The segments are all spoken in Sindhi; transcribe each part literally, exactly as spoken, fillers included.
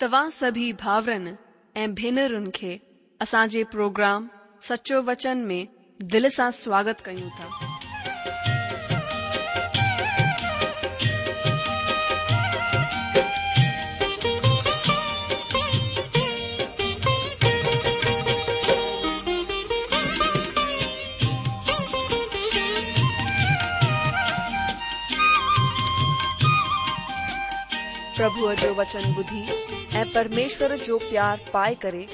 توهان سڀي ڀائرن ۽ ڀينرن کي اسان جي پروگرام سچو وچن ۾ دل سان سواگت ڪيون ٿا. پرڀوءَ جو وچن ٻڌي ۽ پرميشور جو پيار پائي ڪري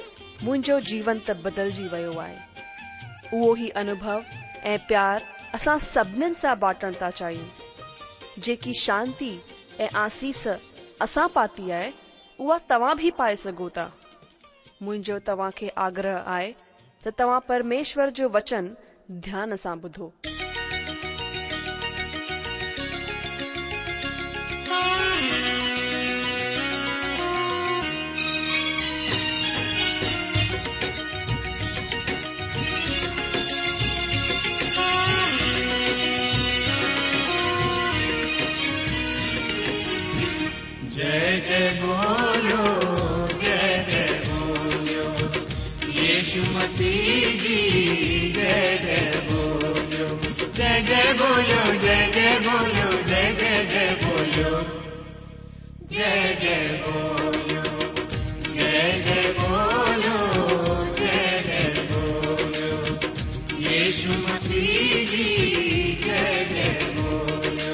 منهنجو جيون ته بدلجي ويو آهي. اهو ئي انوڀو ۽ پيار اسان سڀنين سان بانٽڻ ٿا چاهيون. جيڪي شانتي ۽ آسيس اسان پاتي آهي، اها توهان به پائي سگهو ٿا. منهنجو توهان کي آگرهه آهي ته توهان پرميشور جو وچن ڌيان سان ٻڌو. जय जय बोलो जय जय बोलो यीशु मसीह जी जय जय बोलो जय जय बोलो जय जय बोलो जय जय जय बोलो जय जय बोलो जय जय बोलो जय जय बोलो यीशु मसीह जी जय जय बोलो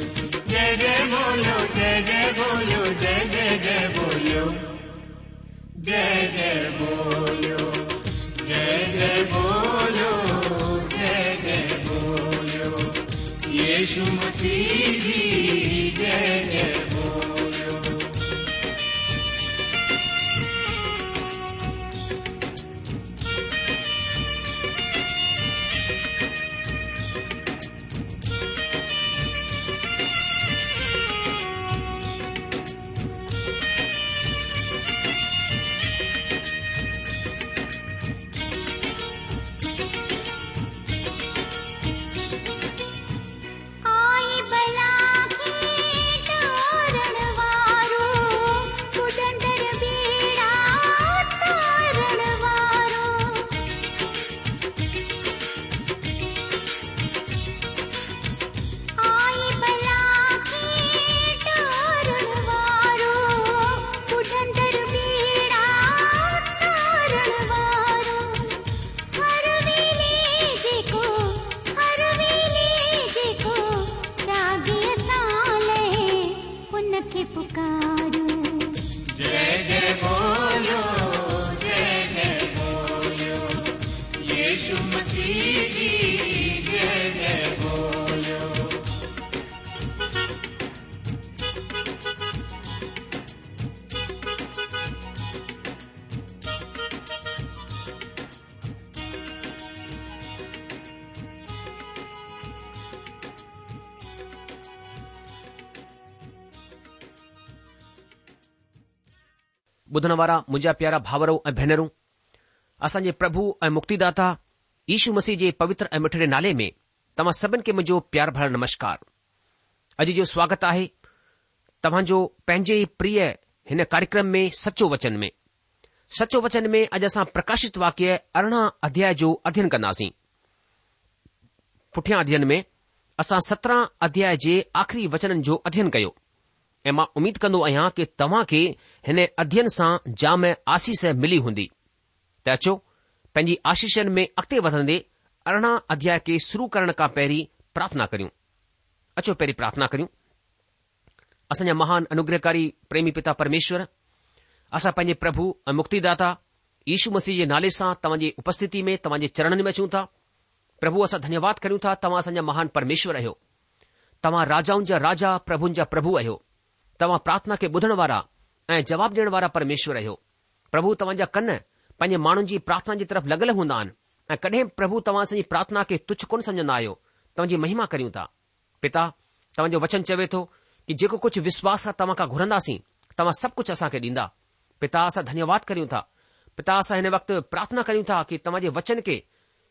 जय जय बोलो जय जय बोलो जय जय जय बोलो जय जय बोलो जय जय बोलो जय जय बोलो यीशु मसीह जी जय जय बोलो। आई बला खे तारण वारो पुटंदर बेड़ा तारण वारो। आई बला खे तारण वारो पुटंदर बेड़ा तारण वारो। हर वेले जेको हर वेले जेको रागी असां लहे उनखे पुकारो। जय जय बोलो जय जय बोलो यीशु मसीह जी जय जय बोलो। ॿुधण वारा मुंहिंजा प्यारा भाउरो ऐं भेनरूं, असांजे प्रभु ऐं मुक्तिदाता यीशु मसीह जे पवित्र ऐं मिठड़े नाले में तव्हां सभिनि खे मुंहिंजो प्यार भरियल नमस्कार। अॼु जो स्वागत आहे तव्हांजो पंहिंजे ई प्रिय हिन कार्यक्रम में सचो वचन में। सचो वचन में अॼु असां प्रकाशित वाक्य अरिड़हं अध्याय जो अध्ययन कंदासीं। पुठियां अध्ययन में असां सत्रहं अध्याय जे आख़िरी वचननि जो अध्ययन कयो ऐं मां उमेद कंदो आहियां की तव्हांखे हिन अध्ययन सां जाम आसीस मिली हूंदी। त अचो पंहिंजी आशीषनि में अॻिते वधंदे अरिड़हं अध्याय खे शुरू करण खां पहिरीं प्रार्थना करियूं। अचो पहिरीं प्रार्थना करियूं। असांजा महान अनुग्रहकारी प्रेमी पिता परमेश्वर, असां पंहिंजे प्रभु ऐं मुक्तिदाता यीशु मसीह जे नाले सां तव्हांजी उपस्थिति में तव्हांजे चरणनि में अचूं था। प्रभु असां धन्यवाद करियूं था, तव्हां असांजा महान परमेश्वर आहियो, तव्हां राजाउनि जा राजा प्रभुनि जा प्रभु आहियो, तव्हां प्रार्थना खे ॿुधण वारा ऐं जवाब ॾियण वारा परमेश्वर आहियो। प्रभु तव्हांजा कन पंहिंजे माण्हुनि जी प्रार्थना जी तरफ़ लॻल हूंदा आहिनि ऐं कॾहिं प्रभु तव्हां असांजी प्रार्थना खे तुच्छ कोन सम्झंदा आहियो। तव्हांजी महिमा करियूं था। पिता, तव्हांजो वचन चवे थो की जेको कुझु विश्वास सां तव्हां खां घुरंदासीं तव्हां सभु कुझु असांखे ॾींदा। पिता, असां धन्यवाद करियूं था। पिता, असां हिन वक़्तु प्रार्थना करियूं था की तव्हांजे वचन खे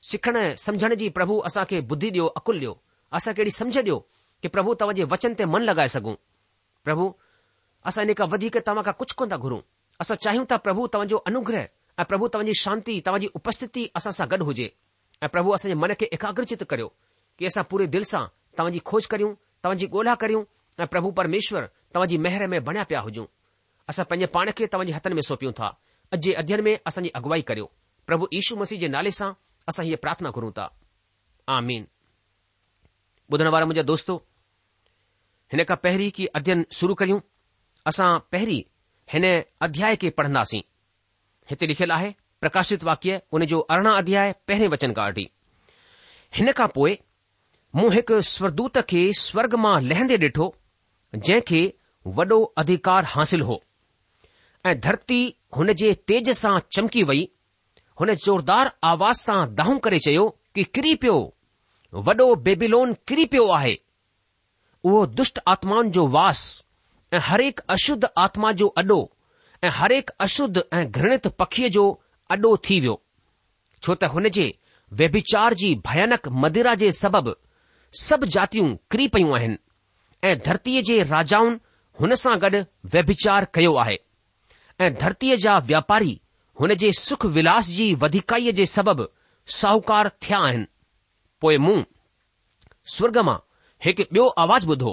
सिखण सम्झण जी प्रभु असांखे बुद्धि ॾियो, अकुल ॾियो, असांखे अहिड़ी सम्झ ॾियो की प्रभु तव्हांजे वचन ते मन लॻाए सघूं। प्रभु, असां इन खां वधीक तव्हां खां कुझु कोन था घुरूं। اسان چاهيون ٿا پرڀو توهان جو انوگره ۽ پرڀو توهان جي شانتي، توهان جي اپسٿتي اسان سان گڏ هجي ۽ پرڀو اسان جي من کي ايڪاگرچت ڪريو ڪي اسان پوري دل سان توهان جي کوج ڪريون، توهان جي ڳولها ڪريون ۽ پرڀو پرميشور توهان جي مهر ۾ بڻيا پيا هجون. اسان پنهنجي پاڻ کي توهان جي هٿن ۾ سونپيون ٿا. اڄ جي اڌيين ۾ اسان جي اڳوائي ڪريو. پرڀو يشو مسيح جي نالي سان اسان هيء پرارٿنا گهرون ٿا. آمين. ٻڌڻ وارا منهنجا دوستو، هن کان پهرين ڪي اڌيين شروع ڪريون، اسان پهرين هن اڌياء کي پڙهنداسين. هتي لکيل آهي، پرڪاشت واڪيه ان جو ارڙهن اڌياء پهرين وچن کان وٺي. هن کان پوء مون هڪ سورگدوت کي سورگ مان لهندي ڏٺو، جنهن کي وڏو اڌيڪار حاصل هو ۽ ڌرتي هن جي تيج سان چمڪي وئي. هن زوردار آواز سان دانهون ڪري چيو ڪي ڪري پيو، وڏو بيبيلون ڪري پيو آهي. اهو دشٽ آتمائن جو واس ۽ هرهڪ اشڌ آتما جو اڏو ۽ هرهڪ اشڌ ۽ گهرڻت پکيء جو اڏو ٿي ويو، ڇو ته هن جي ويڀچار جي ڀيانڪ مدرا جي سبب سڀ جاتيون ڪري پيون آهن ۽ ڌرتيء جي راجائن هن سان گڏ ويڀچار ڪيو آهي ۽ ڌرتيء جا واپاري هن جي سک ولاس جي وڌيڪائيء جي سبب ساهوڪار ٿيا آهن. پوء مون سورڳ مان هڪ ٻيو آواز ٻڌو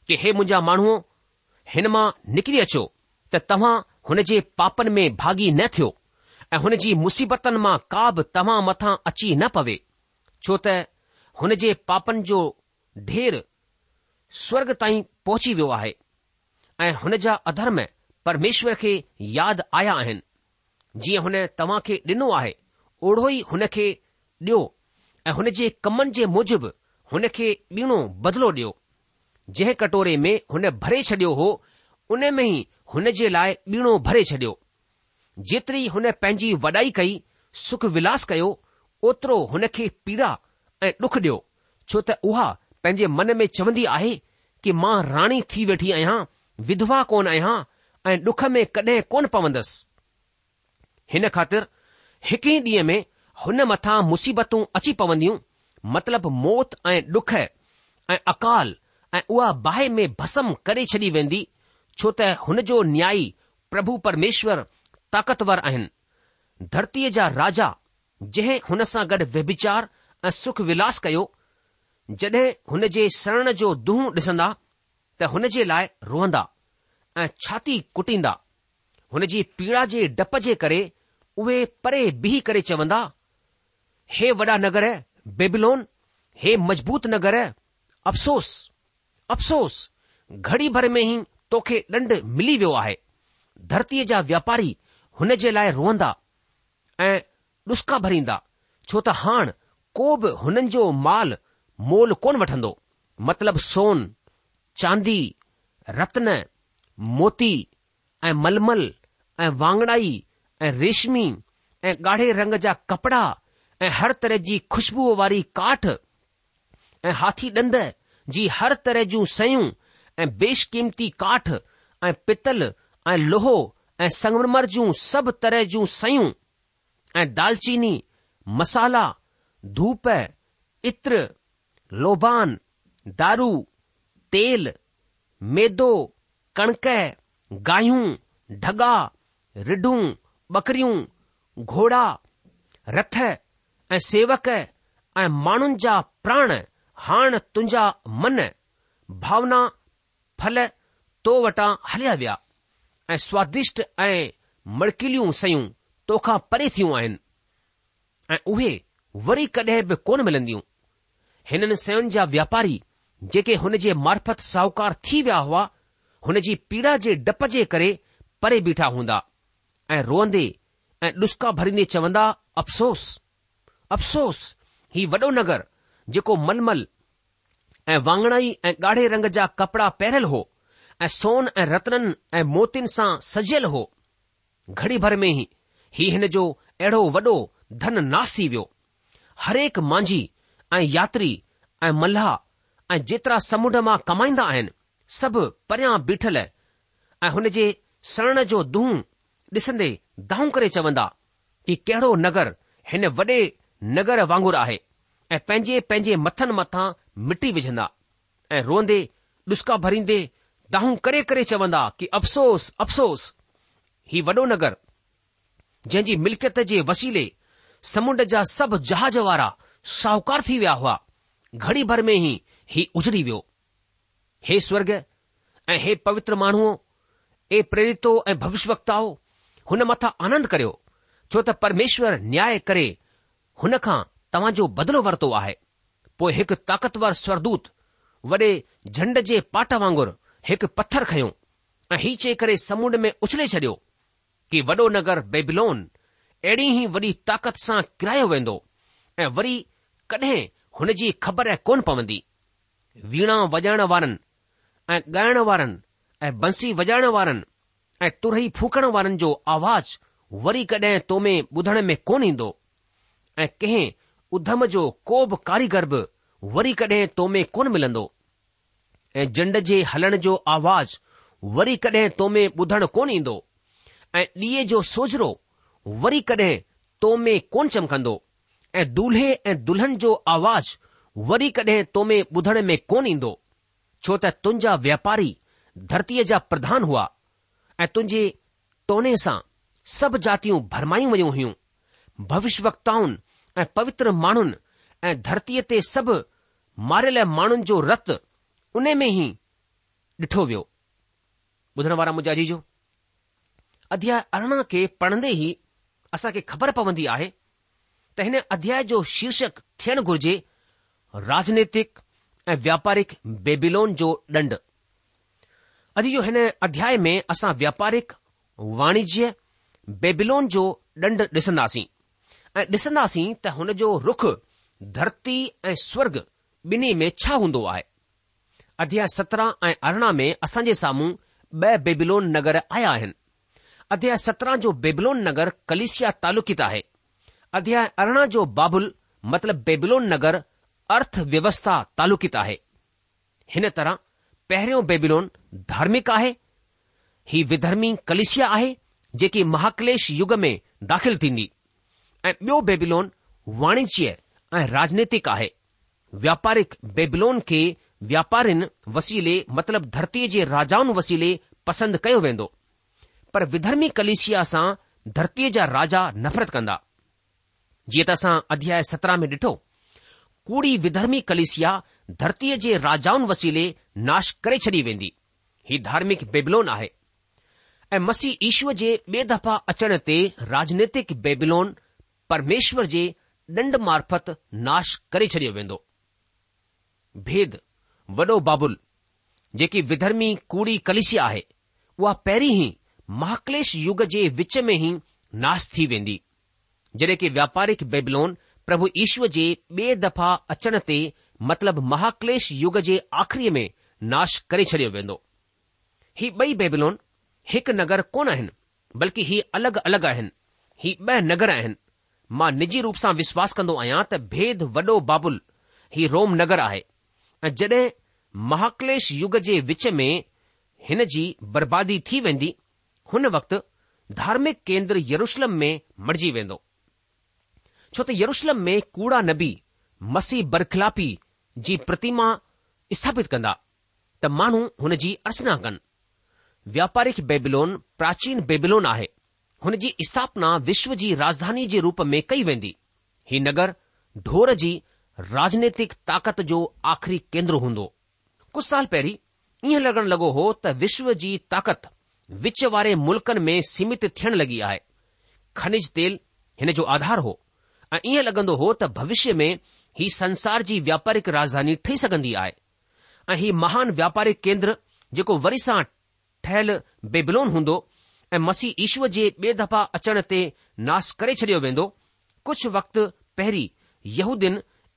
ڪي هي منهنجا ماڻهو هن مان نڪري اچو ته توهان هن جي پاپن ۾ ڀاڳي نه ٿيو ۽ هن جي مصيبتن مان ڪا به توهان مٿان اچي نه پوي، ڇو ته هن جي پاپن جو ڍير سورڳ تائين پهچي ويو آهي ۽ هن جا اڌرم پرميشور کي ياد آيا آهن. جيئن هن توهان کي ڏنو آهي، اوڙو ئي هن کي ڏيو ۽ هن جي ڪمن جي موجب هن کي ٻيڻو بدلو ڏيو. جنهن ڪٽوري ۾ هن ڀري ڇڏيو هو، ان ۾ ئي هن جي لاء ٻيڻو ڀري ڇڏيو. جيتري هن پنهنجي وڏائي ڪئي، سک ولاس ڪيو، اوترو هن کي پيڙا ۽ ڏک ڏيو، ڇو ته اها پنهنجي من ۾ چوندي آهي ڪي مان راڻي ٿي ويٺي آهيان، وڌوا ڪونه آهيان ۽ ڏک ۾ ڪڏهن ڪونه پوندس. هن خاطر هڪ ئي ڏينهن ۾ هن مٿان مصيبتون اچي پونديون، مطلب موت ۽ ڏک ۽ اڪال ۽ اها باهه ۾ ڀسم ڪري ڇڏي ويندي، ڇو ته هن جو نيائي پرڀو پرميشور طاقتور آهن. ڌرتيء جا راجا جنهن هن سان گڏ ويڀچار ۽ سک ولاس ڪيو، جڏهن هن جي سڙڻ جو دونهون ڏسندا ته هن جي لاء روئندا ۽ ڇاتي ڪٽيندا. هن جي پيڙا جي ڊپ جي ڪري اهي پري بيهي ڪري چوندا، هي وڏا نگر بيبيلون، هي مضبوط نگر، افسوس! افسوس! گهڙي ڀر ۾ ئي توکي ڏنڊ ملي ويو آهي. ڌرتيء جا واپاري هن جي لاء روئندا ۽ ڏسڪا ڀريندا، ڇو ته هاڻ ڪو به هنن جو مال مول ڪونه وٺندو، مطلب سون، چاندي، رتن، موتي، ۽ ململ ۽ واڱڻائي ۽ ريشمي ۽ ڳاڙهي رنگ جا ڪپڙا ۽ هر طرح جي خوشبوء واري ڪاٺ ۽ هاٿي ڏند جي هر طرح جون شيون ۽ بيش قيمتي ڪاٺ ۽ پتل ۽ لوهو ۽ سنگمرمر جون سڀ طرح جون شيون ۽ دالچيني، مصالحا، ڌوپ، عطر، لوبان، دارو، تيل، ميدو، ڪڻڪ، گاهيون، ڍڳا، رڍون، ٻڪريون، گهوڙا، رٿ ۽ سيوڪ ۽ ماڻهن جا پراڻ هاڻ تنهنجا من ڀاونا ڦل تو وٽان هليا ويا ۽ سوادشٽ ۽ مڙڪيليون شيون توکان پري ٿيون آهن ۽ اهي وري ڪڏهن به ڪونه ملنديون. هنن شين جا واپاري جيڪي هن جي معرفت ساهوڪار ٿي ويا هئا، هن جي پيڙا جي ڊپ جي ڪري پري بيٺا هوندا ۽ روئندي ۽ ڏسڪا ڀريندي چوندا، افسوس! افسوس! هي وڏو نگر جيڪو ململ ۽ واڱڻائي ۽ ڳاڙهي رنگ جا ڪپڙا پهريل هو ۽ سون ۽ رتنن ۽ موتين سان سجيل هو، گهڙي ڀر ۾ ئي هي هن جو اهڙو وڏو ڌن ناس ٿي ويو. هرهڪ مانجهي ۽ ياتري ۽ ملاح ۽ جيترا سمنڊ مان ڪمائيندا آهن، سڀ پريان بيٺل ۽ هن جي سڙڻ جو دونهون ڏسندي دانهون ڪري چوندا ڪي ڪهڙو نگر هن وڏي نگر وانگر آهي ۽ پنهنجي پنهنجي مٿن مٿان مٽي وجهندا ۽ روئندي ڏسڪا ڀريندي دانهون ڪري ڪري چوندا ڪي افسوس افسوس هي وڏو نگر جنهن جي ملڪيت جي وسيلي سمنڊ جا سڀ جهاز وارا شاهوڪار ٿي ويا هئا، گهڙي ڀر ۾ ئي هي اجڙي ويو. هي سورڳ ۽ هي پوتر ماڻهوء، اي پريرتو ۽ ڀوشيوڪتائو، هن مٿان آنند ڪريو، ڇو ته پرميشور نياء ڪري هن کان توهان جو بدلو ورتو آهي. پوء هڪ طاقتور سورگدوت وڏي جهنڊ جي پاٽ وانگر هڪ پٿر کنيو ۽ هي چئي ڪري سمنڊ ۾ اڇلي ڇڏيو ڪي وڏو نگر بيبيلون اهڙي ئي وڏي طاقت سان ڪرايو ويندو ۽ وري ڪڏهن هن جي خبر ڪونه پوندي. ويڻا وڄائڻ وارن ۽ ڳائڻ وارن ۽ بنسي وڄائڻ وارن ۽ ترهي ڦوڪڻ وارن جو آواز وري ڪڏهن تو ۾ ٻڌڻ ۾ ڪونه ايندو ۽ ڪنهن اڌم جو ڪو به ڪاريگر به وري ڪڏهن تو ۾ ڪونه ملندو ۽ جنڊ جي هلڻ جو آواز وري ڪڏهن تو ۾ ٻڌڻ ڪونه ايندو ۽ ڏيئي جو سوجهرو وري ڪڏهن تو ۾ ڪونه چمڪندو ۽ دولهي ۽ دلهن جو آواز وري ڪڏهن تو ۾ ٻڌڻ ۾ ڪونه ايندو، ڇو ته تنهنجا واپاري ڌرتيء جا پرڌان هئا ۽ تنهنجي ٽوني سان سڀ جاتيون ڀرمايون ويون هيون. ڀوشيوڪتائن ۽ پوتر ماڻهن ۽ ڌرتيء تي سڀ ماريل ماڻهن جو رت ان ۾ ئي ڏٺو ويو. ٻڌڻ وارا منهنجا عزيزو، اڌياء ارڙهن کي پڙهندي ئي اسان کي خبر پوندي آهي ته هن اڌياء جو شيرشڪ ٿيڻ گهرجي راجنيتڪ ۽ واپارڪ بيبيلون جو ڏنڊ. عزيزو هن اڌياء ۾ اسان واپارڪ واڻجيه بيبيلون جو ڏنڊ ڏسنداسين ۽ ڏسنداسين ته هن جو رخ ڌرتي ۽ سورگ ٻنهي ۾ ڇا هوندو آهي. اڌياء سترهن ۽ ارڙهن ۾ اسان جي سامهون ٻه بيبيلون نگر آيا آهن. اڌياء سترهن جو بيبلون نگر ڪليسيا تعلقيت آهي. اڌياء ارڙهن جو بابل مطلب بيبلون نگر ارٿ ويوسٿا تعلقيت آهي. هن طرح پهريون بيبلون ڌارمڪ آهي. هي وڌرمي ڪليسيا آهي جيڪي مهاڪليش يگ ۾ داخل ٿيندي ۽ ٻيو بيبلون واڻجيه ۽ راجنيتڪ آهي. واپارڪ بيبلون کي واپارين وسيلي مطلب ڌرتيء جي راجائن وسيلي پسند ڪيو ويندو. پر وڌرمي ڪليسيا سان ڌرتيء جا راجا نفرت ڪندا. جيئن ته اسان اڌياء سترهن ۾ ڏٺو، ڪوڙي وڌرمي ڪليسيا ڌرتيء جي راجائن وسيلي ناش ڪري ڇڏي ويندي. هي ڌارمڪ بيبلون آهي. ۽ مسيح يشوء جي ٻي دفعا اچڻ تي راجنيتڪ بيبلون پرميشور جي ڏنڊ معرفت ناش ڪري ڇڏيو ويندو. ڀيد، وڏو بابل، جيڪي وڌرمي ڪوڙي ڪليسيا آهي، اها پهرين ئي مهاڪليش يگ جي وچ ۾ ئي ناش ٿي ويندي. جڏهن ڪي واپارڪ بيبلون پرڀو يشوء جي ٻي دفعا اچڻ تي مطلب مهاڪليش يگ جي آخريء ۾ ناش ڪري ڇڏيو ويندو. هي ٻئي بيبلون هڪ نگر ڪونه آهن، بلڪه هي الڳ الڳ آهن. هي ٻه نگر آهن. مان نجي روپ سان وشواس ڪندو آهيان ته ڀيد وڏو بابل هي روم نگر آهي ۽ جڏهن مهاڪليش يگ جي وچ ۾ هن جي بربادي ٿي ويندي، هن وقت ڌارمڪ ڪيندر يروشلم ۾ مڙجي ويندو. ڇو ته يروشلم ۾ ڪوڙا نبي مسيح برخلافي جي پرتيما اسٿاپت ڪندا ته ماڻهو هن جي ارچنا ڪن. واپارڪ بيبلون پراچين بيبلون آهي. هن جي اسٿاپنا وشو جي راجڌاني جي روپ ۾ ڪئي ويندي. هي نگر ڍور جي راجنيتڪ طاقت جو آخري ڪيندر هوندو. ڪجهه سال پهرين ائين لڳڻ لڳو هو ته وشو جي طاقت وچ واري ملڪن ۾ سيمت ٿيڻ لڳي آهي. کنج تيل هن جو آڌار هو ۽ ائين لڳندو هو ته ڀوشيه ۾ هي سنسار جي واپارڪ راجڌاني ٺهي سگهندي آهي ۽ هي مهان واپارڪ ڪيندر جيڪو وري سان ٺهيل بيبلون هوندو ۽ مسيح يشوء جي ٻي دفعا اچڻ تي ناش ڪري ڇڏيو ويندو. ڪجهه وقت پهرين يهودين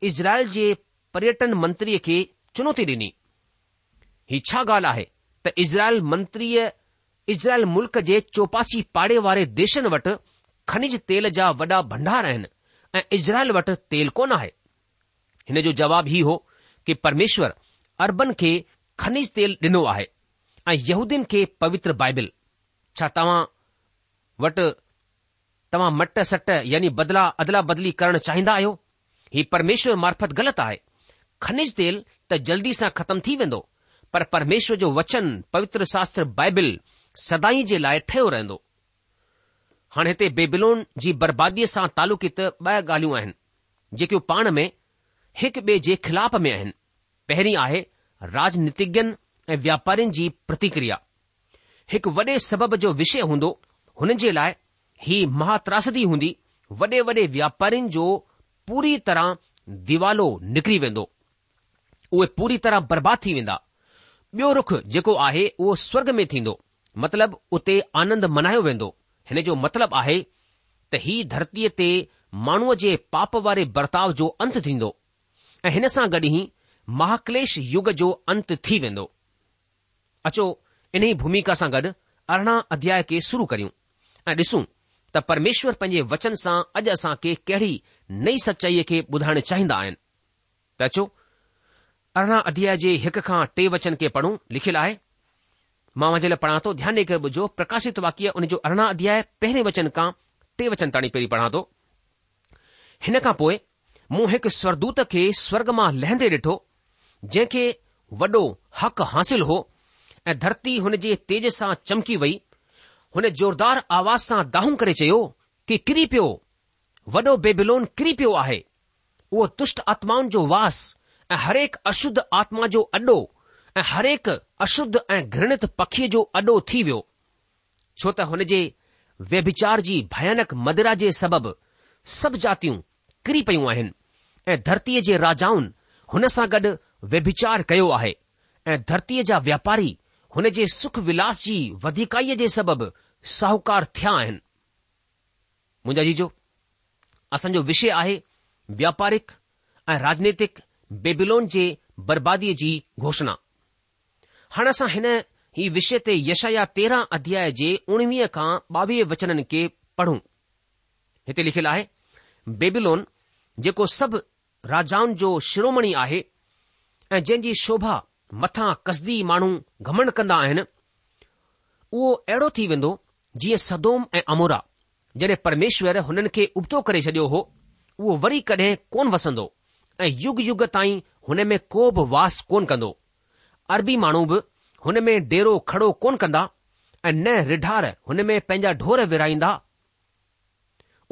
اسرائيل جي پريٽن منتريء کي چنوتي ڏني. هي ڇا ڳالهه آهي ته اسرائيل منتريء اسرائيل ملڪ جي چوپاسي پاڙي واري ديشن وٽ کنج تيل جا وڏا ڀنڊار آهن ۽ اسرائيل وٽ تيل ڪونه آهي. هن جو جواب هي هو ڪي پرميشور عربن کي کنج تيل ڏنو آهي ۽ يهودين کي پوتر بائبل. ڇا توهان وٽ توهان مٽ سٽ يعني بدلا ادلا بدلي ڪرڻ چاهيندا آهيو؟ هي پرميشور معرفت غلط آهي. کنج تيل ته جلدي سان ختم ٿي ويندو، پر پرميشور جو وچن پوتر شاستر بائبل سدائين جي لاء ٺهيو رهندو. هاڻي هتي بيبلون جي برباديء سان تعلقيت ٻه ڳالهيون آهن، جيڪيون پاڻ ۾ هڪ ٻئي جي خلاف ۾ آهن. پهرين آهي راجنيتگين ۽ واپارين جي پرتڪريا. هڪ وڏي سبب جو وشي هوندو، هنن جي لاء هي مهاتراسدي هوندي، وڏي وڏي واپارين جو پوري طرح ديوالو نڪري ويندو. اهي پوري طرح برباد ٿي ويندا. ٻيو رخ جيڪو آهي اهو سورگ ۾ ٿيندو، مطلب اتي آنند منايو ويندو. هن جو مطلب آهي ته هي ڌرتيء تي ماڻهوء جي پاپ واري برتاء جو انت ٿيندو ۽ هن سان گڏ ئي مهاڪليش يگ جو انت ٿي ويندو. اچو انهي ڀوميڪا سان گڏ ارڙهن اڌياء کي شروع ڪريون ۽ ڏسون ته پرميشور پنهنجي وچن سان اڄ اسان کي ڪهڙي نئين سچائيء کي ٻڌائڻ چاهيندا آهن. ته اچو ارڙهن اڌياء جي هڪ کان ٽي وچن کي پڙهون، لکيل آهي، مان اوهان جي لاء پڙهان ٿو، ڌيان ڏيئي ڪري ٻڌجو، پرڪاشت واڪيه ان جو ارڙهن اڌياء پهرين وچن کان ٽي وچن تاڻي پهرين پڙهان ٿو. هن کان پوء مون هڪ سورگدوت کي سورگ مان لهندي ڏٺو، جنهن کي وڏو حق حاصل هو ۽ ڌرتي هن جي تيج سان چمڪي وئي. هن زوردار آواز سان دانهون ڪري چيو ڪي ڪري پيو، وڏو بيبيلون ڪري پيو آهي. اهو دشٽ آتمائن جو واس ۽ هرهڪ اشڌ آتما جو اڏو ۽ هرهڪ اشڌ ۽ گهرڻت پکيء جو اڏو ٿي ويو، ڇو ته هن جي ويڀچار جي ڀيانڪ مدرا جي سبب سڀ جاتيون ڪري پيون آهن ۽ ڌرتيء جي راجائن هن سان گڏ ويڀچار ڪيو آهي ۽ ڌرتيء جا واپاري هن جي سک ولاس جي وڌيڪائيء جي سبب ساهوڪار ٿيا آهن. منهنجا عزيزو، اسان جو وشي آهي واپارڪ ۽ راجنيتڪ بيبيلون جي برباديء جي گهوشڻا. هاڻ اسان هن ئي وشي تي يشعيا تيرهن اڌياء جي اڻويهه کان ٻاويهه وچنن کي پڙهون. هتي لکيل آهي، بيبيلون جيڪو سڀ راجائن جو شرومڻي آهي ۽ جنهن جي شوڀا مٿان ڪسدي ماڻهو گهمنڊ ڪندا آهن، اهو اهڙو ٿي ويندو جيئن سدوم ۽ عمورا، جڏهن پرميشور هنن کي ابتو ڪري ڇڏيو هو، اهو وري ڪڏهن ڪونه وسندو ۽ يگ يگ تائين هن ۾ ڪو به واس ڪونه ڪندو. عربي ماڻهو به هن ۾ ڊيرو کڙو ڪونه ڪندا ۽ نه رڍار هن ۾ پنهنجا ڍور ورهائيندا.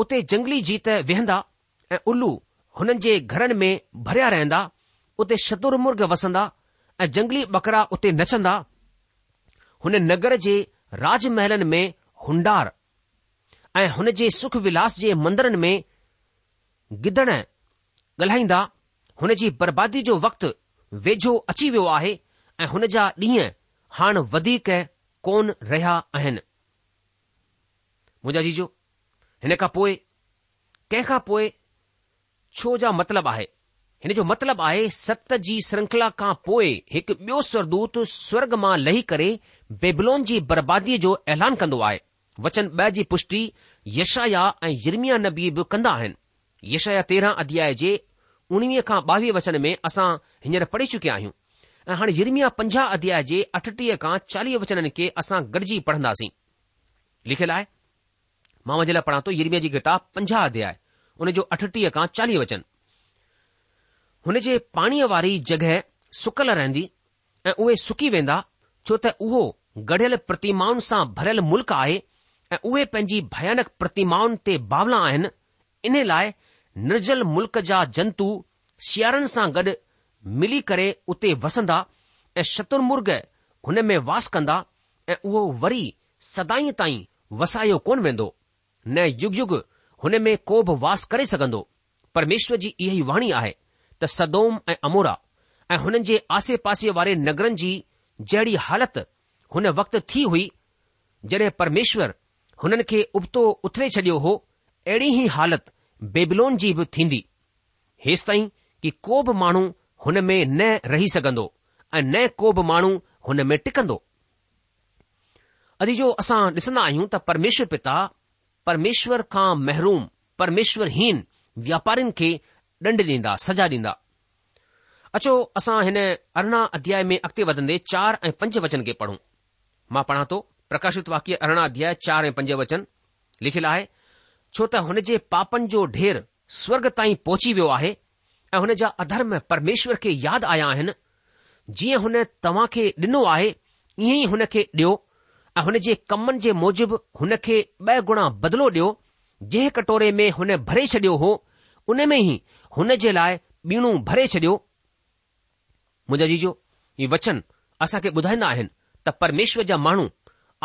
اتي جنگلي جيت ويهندا ۽ الو هنن جي گهرن ۾ ڀريا رهندا، اتي شترمرغ وسندا ۽ جنگلي ٻڪرا اتي نچندا. هن نگر جي راج محلن ۾ هونڊار ۽ هن جي سک ولاس جي مندرن ۾ گدڙ ڳالهائيندا. هن جي بربادي جو وقت ويجهو اچي ويو آهي ۽ هن جا ڏينهن هاڻ وڌيڪ ڪونه رهيا آهن. منهنجا عزيزو، هن کان پوء ڪنهن کان پوء ڇو جا مطلب آهي؟ هن جو مطلب آهي ست جي سرنکلا کان پوء هڪ ٻيو سورگدوت سورگ مان لهي ڪري بيبلون جي برباديء جو اعلان ڪندو آهي. وچن ٻه جي پشٽي يشعيا ۽ يرمياه نبي به ڪندا آهن. يشعيا تيرهن اڌياء جي اڻويهه کان ٻاويهه وچن ۾ اسان هينئر پڙهي چڪيا آهيون ۽ هاڻي يرمياه پنجاهه اڌياء جي اٺٽيهه کان چاليهه وچنن کي اسان گڏجي پڙهنداسين. لکيل آهي. مان اوهان جي لاء پڙهان ٿو يرمياه جي ڪتاب پنجاهه اڌياء ان جو اٺٽيهه کان چاليهه وچن. هن جي پاڻيء واري جڳهه سڪل رهندي ۽ اهي سڪي ويندا ڇو ته اهو گڙهيل پرتيمائن سان ڀريل ملڪ آهي ۽ اهي پنهنجي ڀيانڪ پرتيمائن تي باولا آهن انهي لاء نرجل ملڪ جا جنتو سيارن سان گڏ ملي ڪري اتي وسندا ۽ شترمرغ هن ۾ واس ڪندا ۽ اهو وري سدائين تائين وسايو ڪونه ويندو، نه يگ يگ هن ۾ ڪو به واس ڪري سگهندو. پرميشور جي اها ئي واڻي آهي ته سدوم ۽ عمورا ۽ هنن جي آسي پاسي واري نگرن جي جهڙي حالت هن وقت ٿي هئي، جڏهن پرميشور هنن کي ابتو اٿلي ڇڏيو هو، اهڙي ئي حالت بيبلون جي به ٿيندي، هيستائين ڪي ڪو به ماڻهو هن ۾ نه رهي سگهندو ۽ نه ڪو به ماڻهو هن ۾ ٽڪندو. عزيزو اسان ڏسندا آهيون ته پرميشور پتا پرميشور کان محروم پرميشور هين واپارين کي ڏنڊ ڏيندا سزا ڏيندا. اچو اسان هن ارڙهن اڌياء ۾ اڳتي وڌندي چار ۽ پنج وچن کي پڙهون. مان پڙهان ٿو پرڪاشت واڪيه ارڙهن اڌياء چار ۽ پنج وچن لکيل آهي ڇو ته هن جي پاپن جو ڍير سورگ تائين پهچي ويو آهي ۽ هن جا اڌرم پرميشور کي ياد آيا آهن، جيئن هن توهان کي ڏنو آهي، ائين ئي هن کي ڏيو ۽ هن جي ڪمن جي موجب هن کي ٻه گڻا بدلو ڏيو، جنهن ڪٽوري ۾ هن ڀري ڇڏيو هو، ان ۾ ئي هن جي لاء ٻيڻو ڀري ڇڏيو. منهنجا عزيزو، هي وچن اسان کي ٻڌائيندا آهن ته پرميشور جا ماڻهو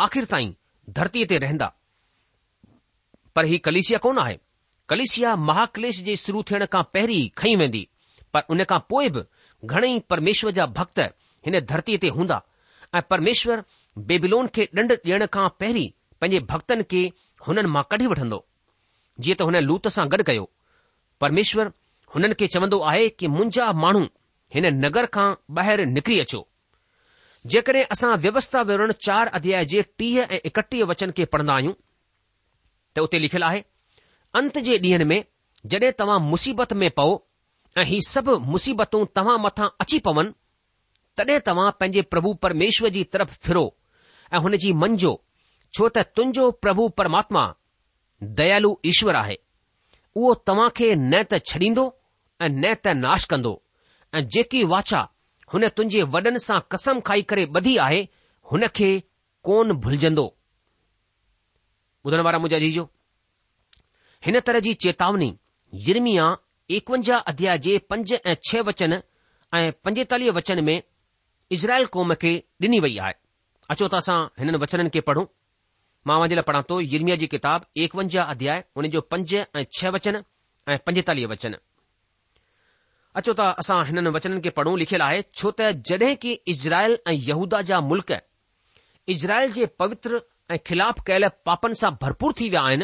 آخر تائين ڌرتيء تي رهندا. پر هي ڪليسيا ڪونه آهي. ڪليسيا مهاڪليش جي شروع ٿيڻ کان پهرين ئي کنئي ويندي، پر ان کان پوء به گهڻئي پرميشور جا ڀڳت هن ڌرتيء تي هوندا ۽ پرميشور بيبيلون کي ڏنڊ ڏيڻ کان پهرين پنهنجي ڀڳتن کي هنن مان ڪڍي وٺندو، جيئن ته هن لوط سان گڏ ڪيو. پرميشور هنن کي چوندو آهي ڪي منهنجا ماڻهو هن نگر کان ٻاهر نڪري اچو. جيڪڏهن اسان ويوسٿا وورڻ چار اڌياء جي ٽيهه ۽ ايڪٽيهه وچن کي پڙهندا آهيون ته اتي لکيل آهي، انت جي ڏينهن ۾ جڏهن توهان مصيبت ۾ پئو ۽ هي سڀ مصيبتون توهان مٿان اچي پون، تڏهن توهان پنهنجي پرڀو پرميشور جي طرف ڦرو ۽ هن جي مڃجو، ڇو ته تنهنجو پرڀو پرماتما ديالو ايشور آهي. اهو توهان کي نه ته ڇڏيندو ۽ نه ته ناش ڪندو ۽ جيڪي واچا هن تنهنجي وڏن سان قسم کائي ڪري ٻڌي آهي، هن کي ڪونه ڀلجندو. ٻڌڻ وارا منهنجا عزيزو، هن طرح جي چيتاوني يرمياه ايڪونجاهه اڌياء جي پنج ۽ ڇهه وچن ۽ پنجيتاليهه وچن ۾ اسرائيل قوم کي ڏني وئي آهي. اچو ته اسان هنن وچنن کي پڙهون. مان اوهان جي لاء پڙهان ٿو يرمياه جي ڪتاب ايڪونجاهه اڌياء ان جو پنج ۽ ڇهه وچن ۽ پنجيتاليهه وچن. اچو ته اسان هنن وچنن کي پڙهون لکيل آهي ڇو ته جڏهن ڪي اسرائيل ۽ يهوداه جا ملڪ اسرائيل جي پوتر ۽ خلاف ڪيل پاپن سان ڀرپور ٿي ويا آهن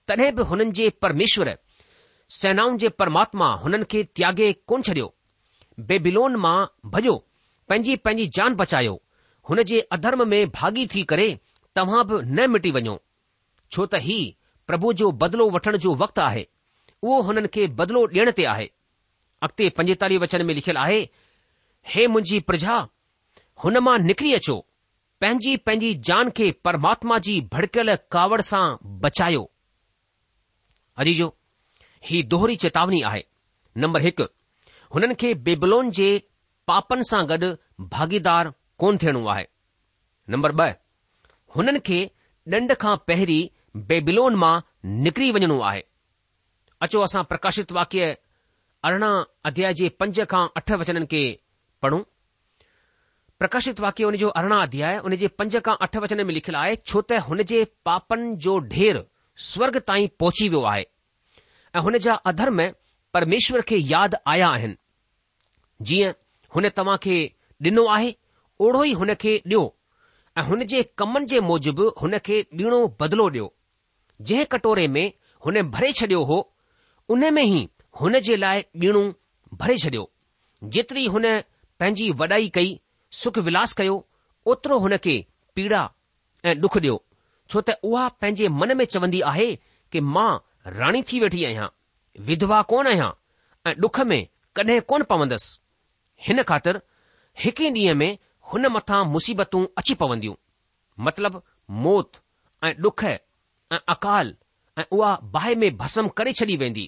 تڏهن به هنن جي پرميشور سينائن جي پرماتما هنن کي تياڳي ڪونه ڇڏيو. بيبيلون مان ڀڄو، پنهنجي پنهنجي جان بچايو، هن جي اڌرم ۾ ڀاڳي ٿي ڪري توهان به نه مٽي وڃو. ڇو ته هي پرڀو جو بدلو وٺڻ جو وقت آهي، اهو هنن کي بدلو ڏيڻ تي آهي. اڳتي پنجيتاليهه وچن ۾ لکيل آهي، هي منهنجي پرجا، هن مان نڪري اچو، پنهنجي پنهنجي جان کي پرماتما جي ڀڙڪيل ڪاوڙ سان بچايو. عزيزو، هي دوهري چيتاوني آهي. نمبر هڪ، هنن کي بيبلون جي پاپن سان گڏ ڀاڳيدار ڪونه ٿيڻو آهي. نمبر ٻه، هنن کي ڏنڊ کان پهرين بيبلون مان نڪري وڃڻو آهي. اچو اسان پرڪاشت واڪيه ارڙهن اڌياء جي پنج کان اٺ وچنن کي پڙهون. پرڪاشت واڪيه ان جو ارڙهن اڌياء ان جي پنج کان اٺ وچن ۾ لکيل آهي، ڇو ته هن جي پاپن جو ڍير سورڳ تائين پهچي ويو آهي ۽ هن جا اڌرم پرميشور کي ياد آيا آهن. جيئن هن توهان کي ڏنو آهي اوڙو ئي هن کي ڏيو ۽ هن جي ڪمن جي موجب هن کي ٻيڻو بدلو ڏيو. جنهن ڪٽوري ۾ هن ڀري ڇڏيو هو، ان ۾ ئي هن جي لاء ٻيڻو ڀري ڇڏيو. جيتري هن پنهنجي وڏائي ڪئي، سک ولاس ڪيو، اوترو هن کي پيڙا ۽ ڏک ڏيو، ڇو ته اها پنهنجي من ۾ چوندي آهي ڪي مان راڻي ٿي ويٺي آهيان، وڌوا ڪونه آهيان ۽ ڏک ۾ ڪڏهن ڪونه پوندس. هن خاطر هڪ ئي ڏينهن ۾ هن مٿان مصيبتون اچي پونديون، مطلب موت ۽ ڏک ۽ اڪال ۽ اها باهه ۾ ڀسم ڪري ڇڏي ويندي،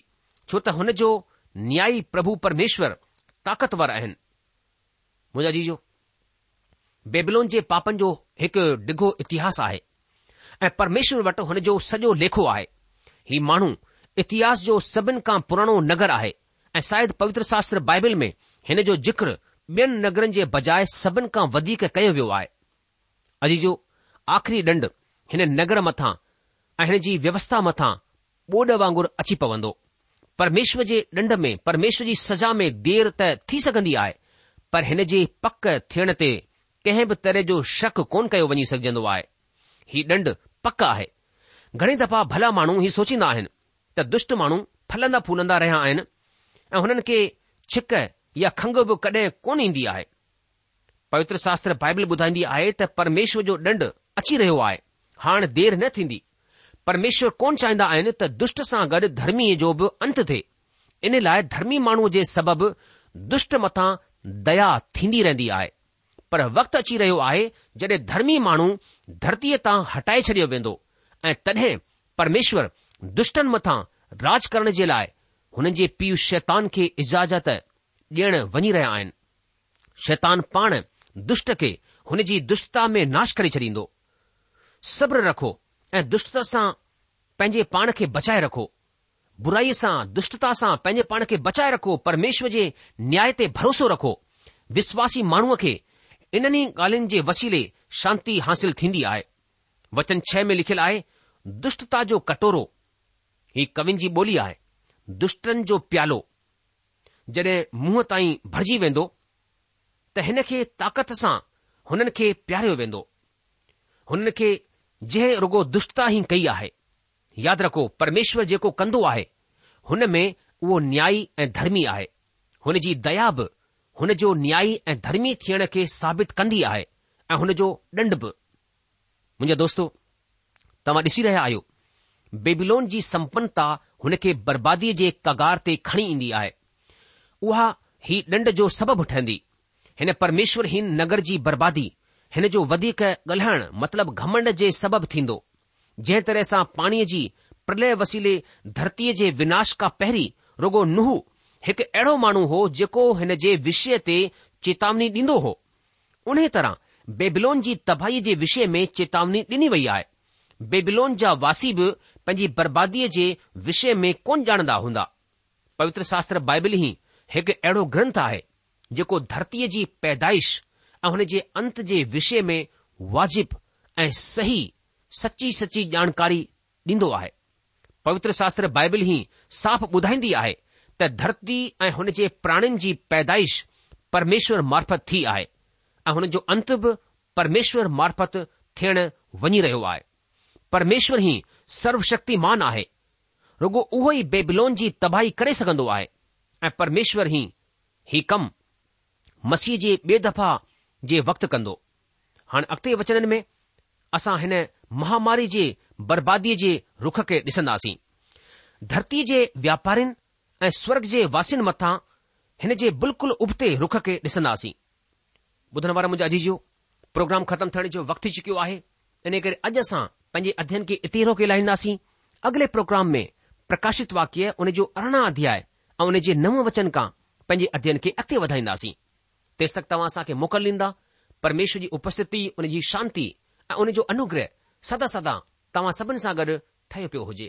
ڇو ته هن جو نيائي پرڀو پرميشور طاقتور آهن. منهنجا عزيزو، بيبلون جي پاپن جو هڪ ڊگهو اتهاس آهي ۽ پرميشور وٽ هن جو سڄو ليکو آهي. هي ماڻهو اتهاس جو سڀن کان پراڻو نگر آهي ۽ شايد پوتر شاستر بائبل ۾ هن جو ذڪر ٻين نگرن جي بجاء سڀن کان وڌيڪ ڪيو ويو آهي. عزيزو، آخري ڏنڊ هن نگر مٿان ۽ هن جي ويوسٿا مٿان ٻوڏ وانگر اچي پوندو. پرميشور جي ڏنڊ ۾ پرميشور جي سزا ۾ دير ته ٿي سگهندي آهي، پر هن جي پڪ ٿيڻ تي ڪنهن به طرح جو شڪ ڪونه ڪيو وڃي سگهجندو آهي. هي ڏنڊ پڪ آهي. گهڻي دفعا ڀلا ماڻهو هي سوچيندا آهن ته دشٽ ماڻهو ڦلندا ڦولندا رهيا آهن ۽ هنن کي ڇڪ يا کنگهه به ڪڏهن ڪونه ايندي آهي. پوتر شاستر بائبل ٻڌائيندي آهي ته پرميشور جو ڏنڊ اچي رهيو آهي، هاڻ دير نه ٿيندي. پرميشور ڪونه چاهيندا آهن ته دشٽ سان گڏ ڌرميء جو به انت ٿئي. ان لاء ڌرمي ماڻهوء جي سبب دشٽ مٿان ديا ٿيندي رهندي آهي. پر وقت اچي رهيو آهي جڏهن ڌرمي ماڻهو ڌرتيء تان هٽائي ڇڏيو ويندو ۽ تڏهن پرميشور دشٽن مٿان راڄ ڪرڻ جي لاء هنن جي پيء شيطان کي اجازت ڏيڻ وڃي رهيا آهن. شيطان پاڻ دشٽ کي هن جي دشٽتا ۾ ناش ڪري ڇڏيندو. صبر رکو ۽ دشٽتا سان پنهنجي پاڻ کي بچائي رکو. برائيء سان، دشٽتا سان پنهنجي پاڻ کي بچائي رکو، پرميشور جي نياء تي ڀروسو رکو. وشواسي ماڻهوء کي انهن ئي ڳالهين جي وسيلي شانتي حاصل ٿيندي آهي. وچن ڇهه ۾ لکيل آهي، دشٽتا جو ڪٽورو، هي ڪوين جي ٻولي آهي، دشٽن جو پيالو، جڏهن منهن تائين ڀرجي ويندو ته هن کي طاقت سان هنن کي پياريو ويندو. هنن کي جنهن رڳو دشٽتا ئي ڪئي آهي. ياد رکو، پرميشور جيڪو ڪندو آهي، هن ۾ اهو نيائي ۽ ڌرمي آهي. هن جي ديا به هن جو نيائي ۽ ڌرمي ٿيڻ کي ثابت ڪندي آهي ۽ هن جو ڏنڊ به. منهنجا دوستو، توهان ڏسي رهيا آهيو، بيبيلون جي سمپنتا هن کي برباديء جي ڪگار تي کڻي ايندي آهي. اها هي ڏنڊ جو سبب ٺهندي. هن پرميشورهين نگر جي بربادي هن جو وڌيڪ ڳالهائڻ مطلب گهمنڊ جي سبب ٿيندو. جنهن طرح سان پاڻيء جي پرلئه وسيلي ڌرتيء جي وناش کان پهرين رڳو نوح هڪ اهڙو ماڻهو هو جيڪو هن جي وشيه تي چيتاوني ڏيندو هو، انهيء طرح بيبلون جي تباهيء جي وشيه ۾ چيتاوني ڏني وئي آهي. بيبلون جا واسي به پنهنجي برباديء جي وشيه ۾ ڪونه ڄاڻندا هوندا. پوتر شاستر بائبل ئي هڪ اهڙو گرنٿ آهي، جيڪو ڌرتيء جي پيدائش ۽ هن جي انت جي وشيه ۾ واجب ۽ صحيح سچي سچي ڄاڻڪاري ڏيندو آهي. پوتر شاستر بائبل ئي صاف ٻڌائيندي آهي ته ڌرتي ۽ هن جي پراڻين جي پيدائش پرميشور معرفت ٿي آهي ۽ هن جو انت به پرميشور معرفت ٿيڻ وڃي رهيو آهي. پرميشور ئي سروشڪتيمان آهي. رڳو اهو ئي بيبلون جي تباهي ڪري سگهندو آهي ۽ پرميشور ئي هي ڪم مسيح جي ٻي دفعا جي وقت ڪندو. هاڻ اڳتي وچنن ۾ اسان هن مهاماري جي برباديء جي رخ کي ڏسنداسين. ڌرتيء جي واپارين ۽ سورگ جي واسين مٿان هن جي بلڪل ابتي رخ کي ڏسنداسين. ٻڌڻ وارا منهنجا عزيزو، پروگرام ختم ٿيڻ جو وقت ٿي چڪيو آهي، انهيء ڪري اڄ اسان پنهنجي اڌين کي اتي روڪي لاهينداسين. اڳلي پروگرام ۾ پرڪاشت واڪيه ان جو ارڙهن اڌياء ۽ ان جي نو وچن کان پنهنجي اڌين کي اڳتي وڌائينداسين. تيستڪ توهان اسان کي موڪل ڏيندا. پرميشور جي اپسٿتي، ان جي شانتي ۽ ان جو انوگره سدا سدا توهان سڀن سان گڏ ٺهيو پيو هجي.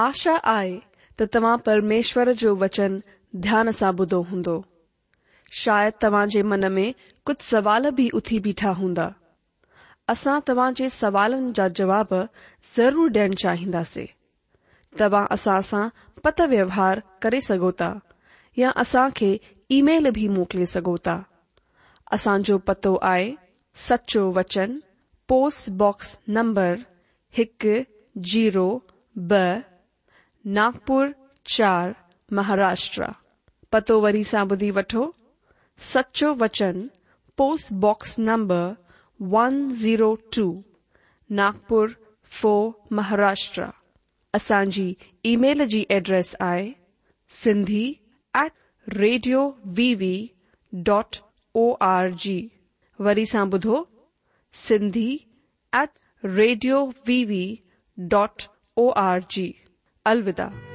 آشا آهي ته توهان پرميشور جو وچن ڌيان سان ٻڌو هوندو. شايد توهان جي من ۾ ڪجهه سوال به اٿي بيٺا هوندا. اسان توهان جي سوالن جا جواب ضرور ڏيڻ چاهينداسين. توهان اسان سان پتر ويوهار ڪري سگهو ٿا يا اسان کي اي ميل به موڪلي سگهو ٿا. اسان جو پتو آهي سچو وچن پوسٽ باڪس نمبر هڪ زيرو ٻه ناگپور چار مهاراشٽر. پتو وري سان ٻڌي وٺو سچو وچن post box number one zero two Nagpur four Maharashtra. اسان جي اي ميل جي ايڊريس آهي Sindhi at radio V V dot O R G. وري سان ٻڌو Sindhi at radio V V dot O R G. الوداع.